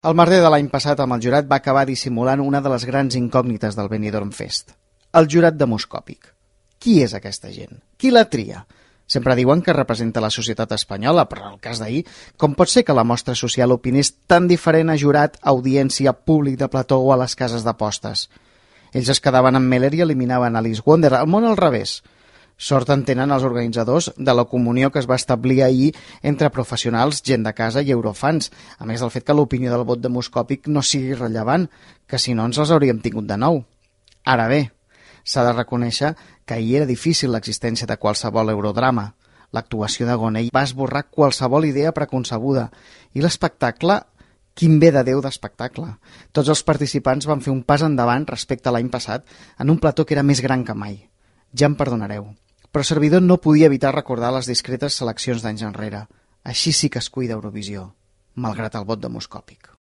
El merder de l'any passat amb el jurat va acabar dissimulant una de les grans incògnites del Benidorm Fest. El jurat demoscòpic. Qui és aquesta gent? Qui la tria? Sempre diuen que representa la societat espanyola, però en el cas d'ahir, com pot ser que la mostra social opinés tan diferent a jurat, audiència, públic de plató o a les cases d'apostes? Ells es quedaven amb Meller i eliminaven Alice Wonder, el món al revés. Sort en tenen els organitzadors de la comunió que es va establir ahir entre professionals, gent de casa i eurofans, a més del fet que l'opinió del vot demoscòpic no sigui rellevant, que si no ens els hauríem tingut de nou. Ara bé, s'ha de reconèixer que ahir era difícil l'existència de qualsevol eurodrama. L'actuació de Gonell va esborrar qualsevol idea preconcebuda i l'espectacle, quin bé de Déu d'espectacle. Tots els participants van fer un pas endavant respecte a l'any passat en un plató que era més gran que mai. Ja em perdonareu, però servidor no podia evitar recordar les discretes seleccions d'anys enrere. Així sí que es cuida Eurovisió, malgrat el vot demoscòpic.